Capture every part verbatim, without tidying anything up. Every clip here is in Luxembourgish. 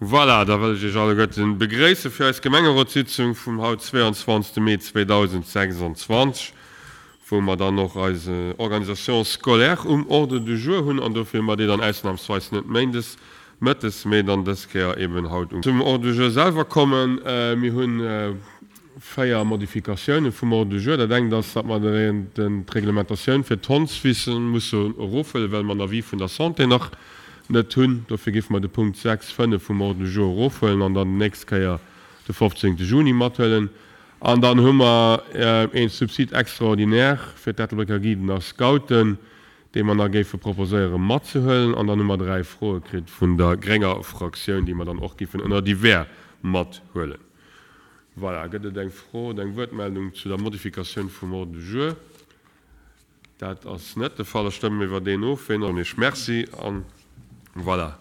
Voilà, da wëll ech Iech alleguerten begréisse fir eis Gemengerotssitzung vum haut zweeanzwanzegste Mee zweedausendsechsanzwanzeg, wou mer dann och eis Organisation scolaire um Ordre du jour hunn an dofir hu mer déi dann ausnahmsweis net méindes mëttes, mee dann dës Kéier eben haut um. Zum Ordre du jour selwer kommen. Mir hunn véier Modifikatiounen vum Ordre du jour. Dat engt ass, datt mer d'Reglementatioun fir d'Hondswissen musse erofhuelen, well mer en Avis vun der Santé nach net hunn. Dofir géife mer de Punkt sechs, fënnef vum Ordre du jour erofhuelen an dann déi nächst Kéier de fofzéngte Juni mathuelen. An dann hu mer ee Subside extraordinaire fir d'Ettelbrécker Guiden a Scouten, dee mer nach géife proposéiere matzehuelen. An dann hu mer dräi Froe kritt vun der grénger Fraktioun, déi mer dann och géifen ënner divers mathuelen. Voilà, gëtt et eng Fro oder eng Wuertmeldung zu der Modifikatioun vum Ordre du jour? Dat ass net de Fall. Da stëmme mir iwwer deen of. Ween Iech Merci. An voilà,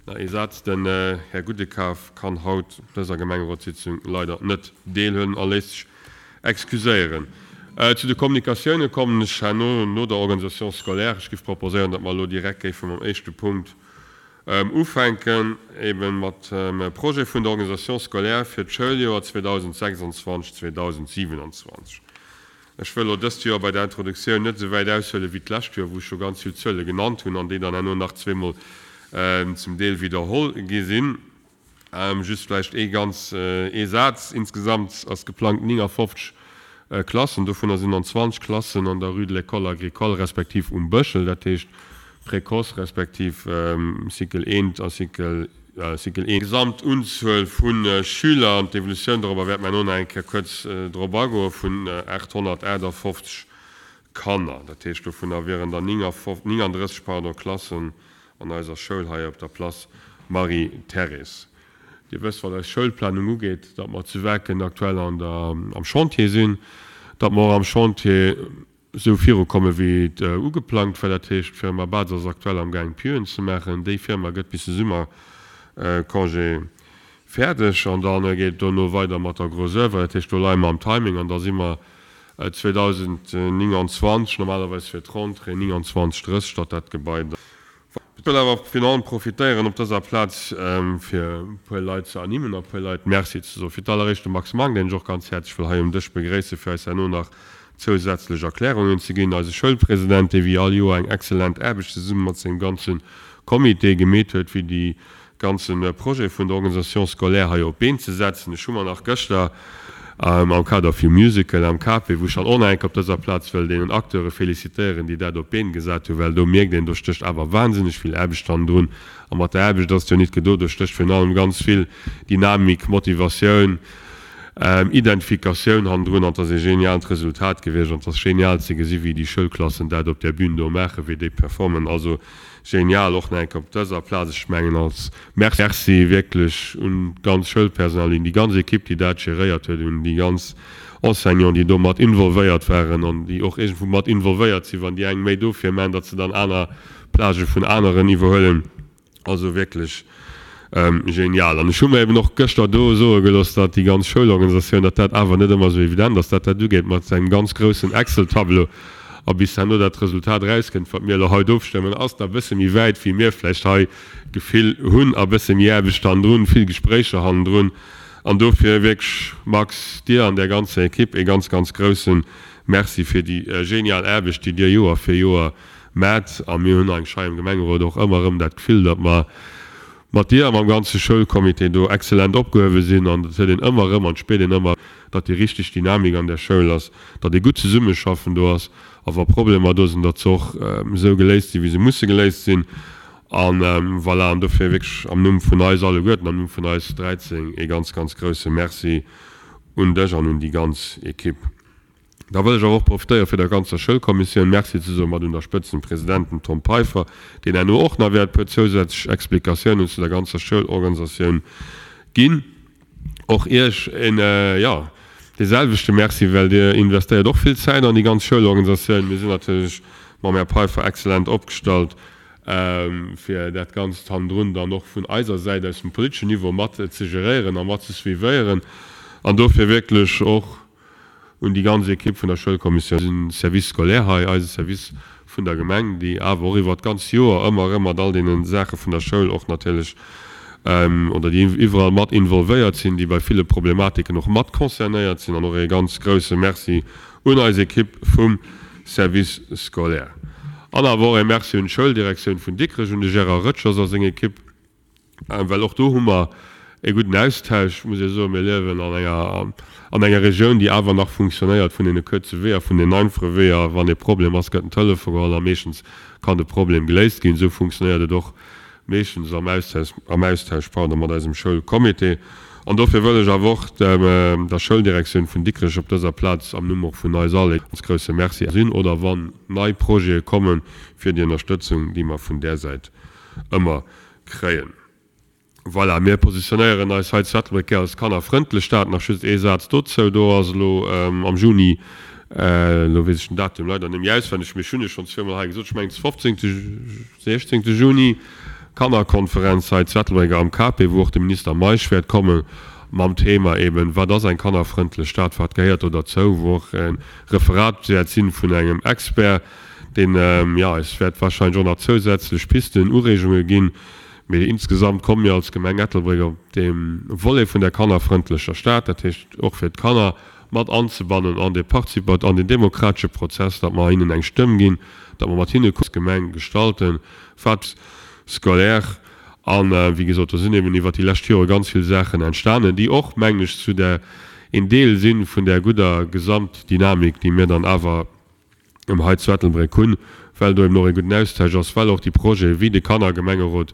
nach ee Saz, Den Här Gudekaf kann haut op dëser Gemengerotssitzung leider net deelhuelen a léisst sech excuséieren. Zu de Kommunikatioune kommen ech herno no der Organisation scolaire. Ech géif proposéieren, datt mer elo direkt géife mam éischte Punkt ufänken, ebe mat dem Projet vun der Organisation scolaire fir d'Schouljoer zweedausendsechsanzwanzeg, zweedausendsiewenanzwanzeg. Ech wëll elo dëst Joer bei der Introduktioun net esou wäit aushuelen wéi d'lescht Joer, wou ech scho ganz vill Zuele genannt hunn an déi dann herno nach zweemol zum Deel widderholl gi sinn. Just vläicht ee ganz, ee Saz, Insgesamt ass geplangt néngafofzeg Klassen, dovunner sinn dann zwanzeg Klassen an der Rue de l'École agricole respektiv um Bëschel, dat heescht Précoce respektiv Cycle eent a Cycle Cycle eent. D'Gesamtunzuel vu Schüler an d'Evolutioun dorobber wäerte mer herno nach eng Kéier kuerz drop agoen, vun aathonnertaachtafoffzeg Kanner. Dat heescht, dovunner wieren der néngandrësseg, pardon, Klassen an eiser Schoul hei op der Place Marie-Thérèse. Dir wësst, wat eis Schoulplanung ugeet, datt mer zu Waarken aktuell an der, am Chantier sinn, datt mer och am Chantier esou virukomme wéi et ugeplangt war. Dat heescht, d'Firma Batz ass aktuell am gaang Pieuxen ze maachen. Déi Firma gëtt bis de Summercongé fäerdeg an da geet et dono weider mat der Gros Oeuvre. Dat heescht, do leie mer am Timing an da si mer zweedausendnénganzwanzeg normalerweis fir d'Rentrée nénganzwanzeg, drësseg, datt dat Gebai da. Ech wëll awer virun allem profitéieren op dëser Plaz, fir e puer Leit ze ernimmen a e puer Leit Merci ze soen. Fir d'alleréischt de Max Mang, deen ech och ganz häerzlech wëll hei um Dësch begréissen, fir eis herno nach zousätzlech Erklärungen ze ginn. Eise Schoulpresident, dee wéi all Joer eng exzellent Aarbecht zesumme mat sengem ganze Comité gemeet huet, fir déi ganze Projet vun der Organisation scolaire hei op d'Been ze setzen. Ech hu mer nach gëschter am Kader vum Musical am K P, wou ech dann och nach eng Kéier op dëser Plaz wëll deenen Acteure félicitéieren, déi dat op d'Been gesat hunn, well do mierkt een, do stécht awer wahnsinneg vill Aarbecht hannendrun. A mat der Aarbecht ass et jo nit gedo, do stécht virun allem ganz vill Dynamik, Motivatioun, Identifikatioun hannendrun an et ass ee geniaalt Resultat gewiescht an et ass genial ze gesi wéi déi Schoulklassen dat op där Bühn do maachen, wéi déi performen. Also genial och nach eng Kéier op dëser Plaz, ech mengen als Merci wierklech un d'ganz Schoulpersonal, un déi ganz Equipe, déi dat geréiert huet, un déi ganz Enseignants, déi do mat involvéiert waren an déi och iergendwou mat involvéiert sinn, wann déi eng méi dofir maachen, datt se dann aner Plagë vun aneren iwwerhuelen. Also wierklech genial. An ech hu mer eben och gëschter do soe gelooss, datt déi ganz Schoulorganisatioun, datt dat awer net ëmmer esou evident ass, datt dat ugeet mat engem ganz groussen Excel-Tableau a bis herno dat Resultat erauskënnt, wat mir elo haut ofstëmmen, ass da e bësse méi wäit, wéi mir vläicht hei d'Gefill hunn, a bësse méi Aarbecht hannendrun, vill Gespréicher hannendrun. An dofir wierklech, Max, dir an där ganzer Equipe ee ganz, ganz grousse Merci fir déi genial Aarbecht, déi dir Joer fir Joer maacht. A mir hunn eigentlech hei am Gemengerot och ëmmer erëm dat Gefill, datt mer mat dir a mam ganze Schoulcomité do exzellent opgehuewe sinn. An dat huet een ëmmer erëm an et spiert een ëmmer, datt déi richteg Dynamik an där Schoul ass, datt ee gutt Zesummeschaffen do ass a wa Problemer do sinn, datt se och esou geléist sinn, wéi se musse geléist sinn. A voilà, an dofir wierklech am Numm vun eis alleguerten, am Numm vun eis dräizéng, ee ganz, ganz grouse Merci un dech an un déi ganz Equipe. Da wëll ech awer och profitéieren, fir der ganzer Schoulkommissioun Merci ze soen, mat un der Spëtzt dem President, dem Tom Peiffer, deen herno och nach wäert e puer zousätzlech Explikatiounen zu der ganzer Schoulorganisatioun ginn. Och Iech en, jo, dee selwechte Merci, well Dir investéiert och vill Zäit an déi ganz Schoulorganisatioun. Mir sinn natierlech mam Här Peiffer exzellent opgestallt, fir dat Ganzt hannendrun dann och vun eiser Säit aus dem politeschen Niveau mat ze geréieren a mat ze suivéieren. An dofir wierklech och un déi ganz Equipe vun der Schoulkommissioun, eisen Service scolaire hei, eise Service vun der Gemeng, déi awer och iwwert d'ganz Joer ëmmer erëm mat all deene Saache vun der Schoul och natierlech oder déi iwwerall mat involvéiert sinn, déi bei ville Problematiken och mat concernéiert sinn. An och ee ganz grouse Merci un eis Ekipp vum Service scolaire. An awer och ee Merci un d'Schouldirektioun vun Dikrech, un de Gérard Röttgers a seng Ekipp, well och do hu mer ee gudden Austausch, muss ee soen. Mir liewen an enger, an enger Regioun, déi awer nach funktionéiert vun deene kuerze Weeër, vun den einfache Weeër. Wann ee Problem ass, gëtt den Telefon geholl a meeschtens kann de Problem geléist ginn. Esou funktionéiert et och meeschtens am Austausch, am Austausch, pardon, mat eisem Schoulcomité. An dofir wëll ech awer och dem, der Schouldirektioun vun Dikrech op dëser Plaz am Numm och vun eis all ee ganz grouse Merci sinn oder wann nei Projete kommen, fir déi Ënnerstëtzung, déi mer vun där Säit ëmmer kréien. Voilà, mir positionéieren eis hei zu Ettelbréck gär als kannerfrëndlech Stad. Nach just ee Saz dozou, Do ass elo am Juni, elo weess ech den Datum leider net méi auswenneg, mee ech hunn e schonn zweemol hei gesot, ech mengen de fofzéngte, sechzéngte Juni, Kannerkonferenz hei zu Ettelbréck am K P, wou och de Minister Meisch wäert komme mam Thema eben, wat ass eng kannerfrëndlech Stad, wat gehéiert do derzou, wou och e Referat wäert sinn vun engem Expert, deen, jo, eis wäert wahrscheinlech och nach zousätzlech Pisten, Ureegunge ginn. Mee insgesamt komme mir als Gemeng Ettelbréck op deem Volet vun der kannerfrëndlecher Stad, dat heescht och fir d'Kanner mat anzebannen an dee Partizipat, an den demokratesche Prozess, datt mer hinnen eng Stëmm ginn, datt mer mat hinne als Gemeng gestalten, wat scolaire. An, wéi gesot, do sinn eben iwwert déi lescht Jore ganz vill Saachen entstanen, déi och, mengen ech, zu der een Deel si vun där gudder Gesamtdynamik, déi mir dann awer hei zu Ettelbréck hunn, well do eben och ee gudden Austausch ass, well och déi Projete wéi de Kannergemengerot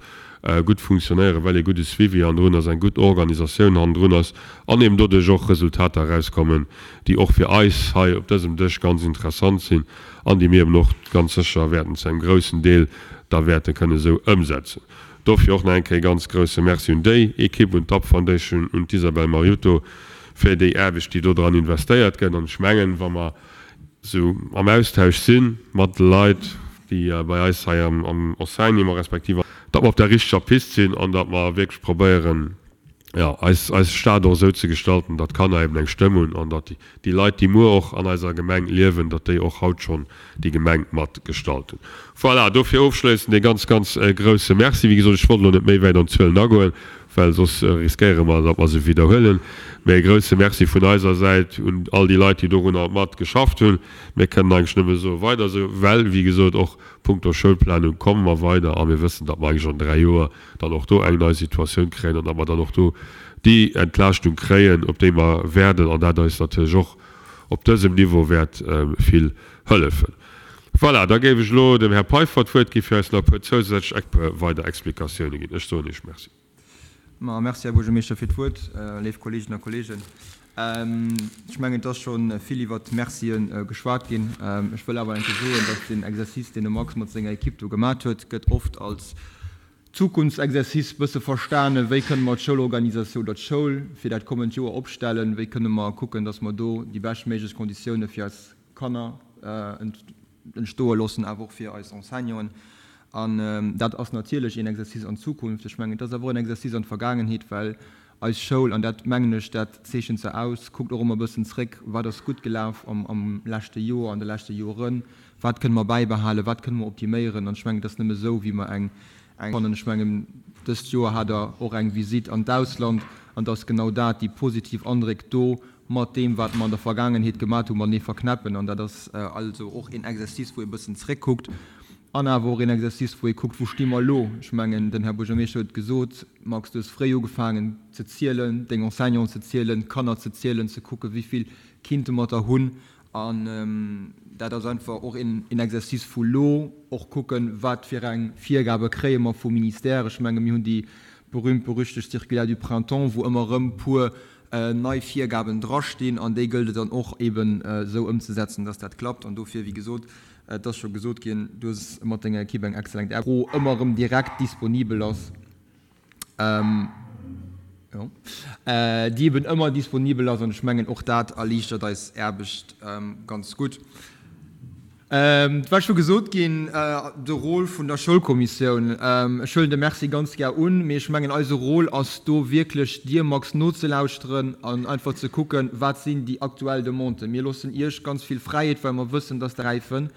gutt funktionéieren, well ee gudde Suivi hannendrun ass, eng gutt Organisatioun hannendrun ass an eben doduerch och Resultater erauskommen, déi och fir eis hei op dësem Dësch ganz interessant sinn an déi mir eben och ganz sécher wäerten zu engem groussen Deel da wäerte kënnen esou ëmsetzen. Dofir och nach eng Kéier e ganz grouse Merci un déi Ekipp, un d'Up Foundation, un d'Isabel Mariutto fir déi Aarbecht, déi do dran investéiert gëtt. An ech mengen, wa mer esou am Austausch si mat de Leit, déi bei eis hei am Enseignement respektiv, datt mer op der richteger Pist sinn an datt mer wierklech probéieren, jo, eis, eis Stad och esou ze gestalten, datt d'Kanner eben eng Stëmm hunn an datt déi Leit, déi muer och an eiser Gemeng liewen, datt déi och haut schonn déi Gemeng mat gestalten. Voilà, dofir ofschléissend ee ganz, ganz grouse Merci. Wéi gesot, ech wollt elo net méi wäit an d'Zuelen agoen, well soss riskéiere mer, datt mer se widderhuelen. Mä ee grouse Merci vun eiser Säit un all déi Leit, déi dorunner mat geschafft hunn. Mir kënnen eigentlech nëmme soe weider esou, well, wéi gesot, och punkto Schoulplanung komme mer weider a mir wëssen, datt mer eigentlech an dräi Joer dann och do eng nei Situatioun kréien an datt mer dann och do déi Entlaaschtung kréien, op déi mer wäerden an dat eis natierlech och op dësem Niveau wäert vill hëllefen. Voilà, da géif ech elo dem Här Peiffer d'Wuert gi fir eis nach e puer zousätzlech weider Explikatioune ginn. Ech soen Iech Merci. Ma merci, Här Buergermeeschter, fir d'Wuert. Léif Kolleeginnen a Kolleegen, ech mengen, et ass scho vill iwwert d'Mercie geschwat ginn. Ech wëll awer eng Kéier soen, dass deen Exercice, deen de Max mat senger Equipe do gemat huet, gëtt oft als Zukunftsexercice bësse verstanen, Wéi kënne mer d'Schoulorganisatioun oder d'Schoul fir dat kommend Joer opstellen? Wéi kënne mer kucken, dass mer do déi beschtméiglech Konditioune fir eis Kanner entstoe loossen, awer och fir eis Enseignanten? An dat ass natierlech een Exercice an d'Zukunft. Ech mengen, et ass awer och en Exercice an d'Vergaangenheet, well eis Schoul, an dat mengen ech, dat zeechent se aus, kuckt och ëmmer e bëssen zréck, Wat ass gutt gelaf am leschte Joer, an de leschte Joren? Wat kënne mer bäibehalen? Wat kënne mer optiméieren? An ech mengen, et ass nëmme esou, wéi mer eng. Fannen. Ech mengen, dëst Joer hat Der och eng Visitt an d'Ausland, an et ass genau dat, déi positiv Andréck do mat deem, wat mer an der Vergaangenheet gemat hunn, matenee verknäppen. An dat ass also och een Exercice, wou ee bëssen zréckkuckt an awer och een Exercice, wou ee kuckt, Wou sti mer elo? Ech mengen, den Här Buergermeeschter huet et gesot, Max, du hues fréi ugefaangen ze zielen, deng Enseignanten ze zielen, d'Kanner ze zielen, ze kucken, wéi vill kinnte mer der hunn. An dat ass einfach och een Exercice vu lo, och kucken, wat fir eng Virgabe kréie mer vum Ministère. Ech menge mir hunn déi berühmt-berüchtegt Circulaire du printemps, wou ëmmer erëm puer nei Virgaben drastinn, an déi gëllt et dann och eeben esou ëmzesetzen, dass dat klappt. An dofir, wéi gesot, et ass scho gesot ginn, du hues mat denger Equipe eng exzellent Aarbecht. Fro ëmmer erëm direkt disponibel ass. Jo, déi eben ëmmer disponibel ass. An ech mengen, och dat erliichtert eis Aarbecht ganz gutt. Et war scho gesot ginn, de Rôle vun der Schoulkommissioun. Ech huelen de Merci ganz gär un, mee ech mengen, eise Rôle ass do wierklech, dir, Max, nozelauschteren an einfach ze kucken, wat sinn déi aktuell Demanden. Mir loossen Iech ganz vill Fräiheet, well mer wëssen, dass Der. Gräifen.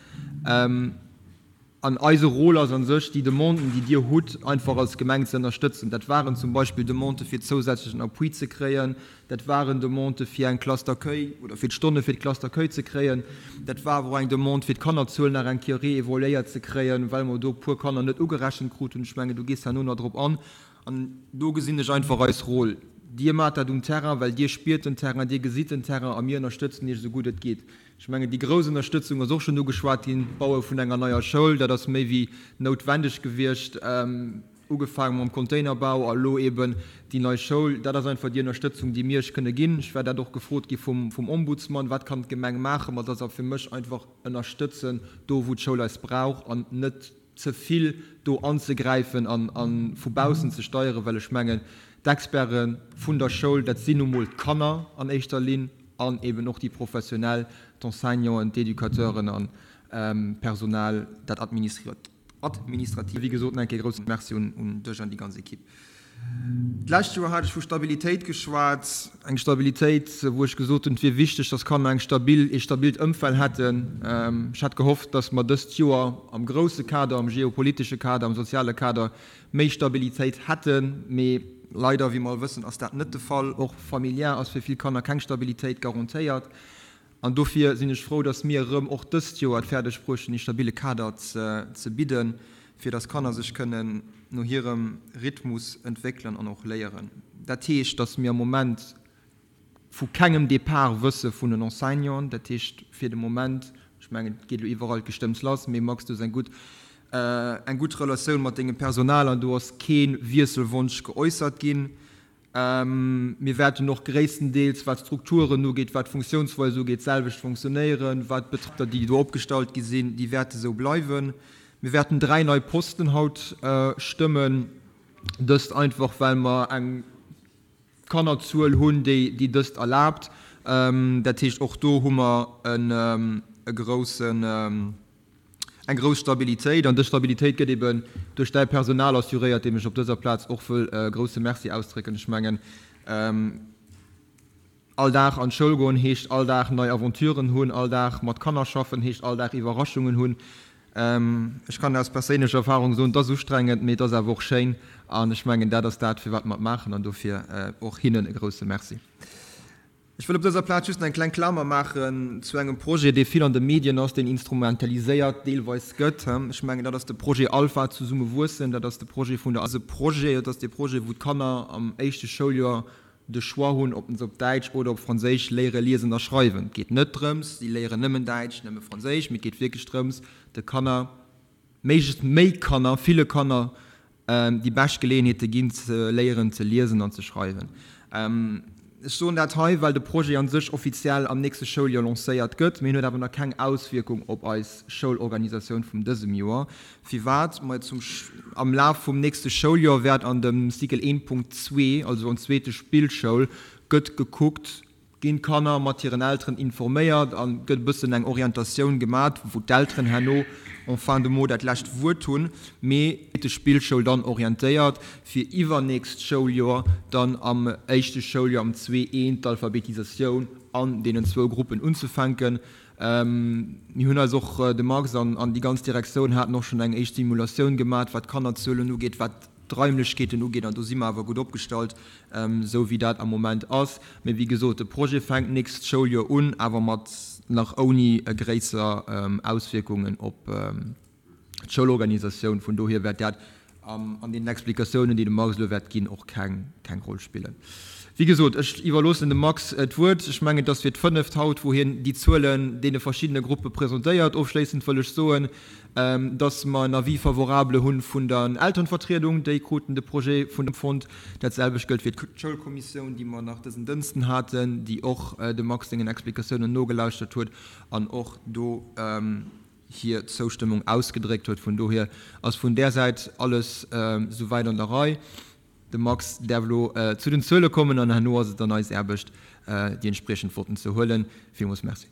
An eise Rôle ass an sech, déi Demanden, déi Dir hutt, einfach als Gemeng ze ënnerstëtzen. Dat waren zum Beispill Demandë fir zousätzlechen Appui ze kréien, dat waren Demandë fir eng Classe d'accueil oder fir d'Stonne fir d'Classe d'accueil ze kréien, dat war awer och eng Demande fir d'Kannerzuel nach eng Kéier réévaluéiert ze kréien, well mer do e puer Kanner net ugerechent krut hunn. Ech mengen, du gees herno nach drop an. An do gesinn ech einfach eis Rôle. Dir maacht dat um Terrain, well Dir spiert den Terrain, Dir gesitt den Terrain a mir ënnerstëtzen Iech esou gutt et geet. Ech mengen, déi grouss Ënnerstëtzung ass och schonn ugeschwat ginn, d'Baue vun enger neier Schoul, dat ass méi wéi noutwendeg gewiescht, ugefaange mam Containerbau a elo eeben déi nei Schoul. Dat ass einfach déi Ënnerstëtzung, déi mir Iech kënne ginn. Ech war dat och gefrot gi vum Ombudsman, Wat kann d'Gemeng maachen? Ma dat ass fir mech einfach ënnerstëtzen, do wou d'Schoul eis brauch an net ze vill do anzegräifen a vu baussen ze steieren, well ech mengen, d'Experte vun der Schoul, dat sinn nu mol d'Kanner an éischter Linn an eben och déi Professionell, d'Enseignanten, d'Educateuren an d'Personal, dat Administratiivt. Wéi gesot, nach eng Kéier e grousse Merci un dech an déi ganz Ekipp. D'lescht Joer hat ech vu Stabilitéit geschwat, eng Stabilitéit, wou ech gesot hunn, et wier wichteg, dass Kanner eng stabil, ee stabilt Ëmfeld hätten. Ech hat gehofft, dass mer dëst Joer am grousse Kader, am geopolitesche Kader, am soziale Kader méi Stabilitéit hätten. Mee leider, wéi mer all wëssen, ass dat net de Fall. Och familiär ass fir vill Kanner keng Stabilitéit garantéiert. An dofir sinn ech frou, dass mir erëm och dëst Joer et fäerdeg bruecht hunn, ee stabile Kader ze bidden, fir dass Kanner sech kënnen no hirem Rhythmus entwéckelen an och léieren. Dat heescht, dass mir am Moment vu kengem Départ wësse vun den Enseignanten. Dat heescht, fir de Moment, ech mengen, et geet elo iwwerall d'Gestëmms lass, mee Max, du hues eng gutt, eng gutt Relatioun mat dengem Personal an do ass kee Wiesselwonsch geäussert ginn. Mir wäerten och gréisstendeels, wat d'Strukturen ugeet, wat d'Funktiounsweis ugeet, d'selwecht fonctionnéieren. Wat d'Betriber, déi do opgestallt gi sinn, déi wäerte sou bleiwen. Mir wäerten dräi nei Posten haut stëmmen, dëst einfach well mer eng Kannerzuel hunn, déi dëst erlaabt. Dat heescht, och do hu mer e groussen, eng grouss Stabilitéit. An dës Stabilitéit gëtt eben duerch däi Personal assuréiert, deem ech op dëser Plaz och wëll e grousse Merci ausdrécken. Ech mengen, all Dag an d'Schoul goen heescht all Dag nei Aventuren hunn, all Dag mat Kanner schaffen heescht all Dag Iwwerraschungen hunn. Ech kann aus perséinlecher Erfahrung soen, et ass ustrengend, mee et ass awer och schéin. An ech mengen, dat ass dat, firwat mer et maachen. An dofir och hinnen e grousse Merci. Ech wëll op dëser Plaz just eng kleng Klamer maachen zu engem Projet, dee vill an de Medien ass, deen instrumentaliséiert deelweis gëtt. Ech mengen, dat ass de Projet Alpha, Zesumme wuessen. Dat ass de Projet vun der. Ass e Projet, dat ass dee Projet, wou d'Kanner am éischte Schouljoer de Choix hunn, ob se op Däitsch oder op Franséisch léiere liesen a schreiwen. Et geet net drëms, si léieren nëmmen Däitsch, nëmme Franséisch, mee et geet wierklech drëms, de Kanner, méiglechst méi Kanner, ville Kanner déi bescht Geleeënheet ze ginn, ze léieren ze liesen an ze schreiwen. Ech soen dat hei, well de Projet a sech offiziell am nächste Schouljoer lancéiert gëtt, mee en huet awer nach keng Auswierkung op eis Schoulorganisatioun vum dësem Joer. Firwat? Majo, zum am Laf vum nächste Schouljoer wäert an dem Cycle een Punkt zwee, also an zweete Spillschoul, gëtt gekuckt, ginn d'Kanner mat hiren Elteren informéiert a gëtt e bëssen eng Orientatioun gemat, wou d'Elteren herno en fin de mot dat lescht Wuert hunn, mee de Spillschoul dann orientéiert, fir iwwernächst Schouljoer dann am éischte Schouljoer am zwee eent d'Alphabetisatioun an deenen zwou Gruppen unzefänken. Mir hunn eis och, de Max an déi ganz Direktioun haten och schonn eng éischt Simulatioun gemat, wat d'Kannerzuelen ugeet, wat d'Raimlechkeeten ugeet, an do si mer awer gutt opgestallt, esou wéi dat am Moment ass. Mee wéi gesot, de Projet fänkt d'nächst Schouljoer un, awer mat nach ouni gréisser Auswierkungen op d'Schoulorganisatioun. Vun dohier wäert dat an deenen Explikatiounen, déi de Max elo wäert ginn, och keng Roll spillen. Wéi gesot, ech iwwerloossen dem Max d'Wuert. Ech mengen, et ass fir d'fënneft haut, wou hien déi Zuelen deene verschiddene Gruppe presentéiert. Ofschléissend wëll ech soen, dass mer en Avis favorable hu vun der Elternvertriedung. Déi kruten de Projet vun dem fonnt. Dat selwecht gëllt fir d'Schoulkommissioun, déi mer nach dësen Dënsten haten, déi och dem Max sengen Explikatiounen nogelauschtert huet an och do hir Zoustëmmung ausgedréckt huet. Vun dohier ass vun där Säit alles souwäit an der Rei. De Max däerf elo zu den Zuele kommen an herno ass et dann eis Aarbecht, déi entspriechend Votten ze huelen. Villmools Merci.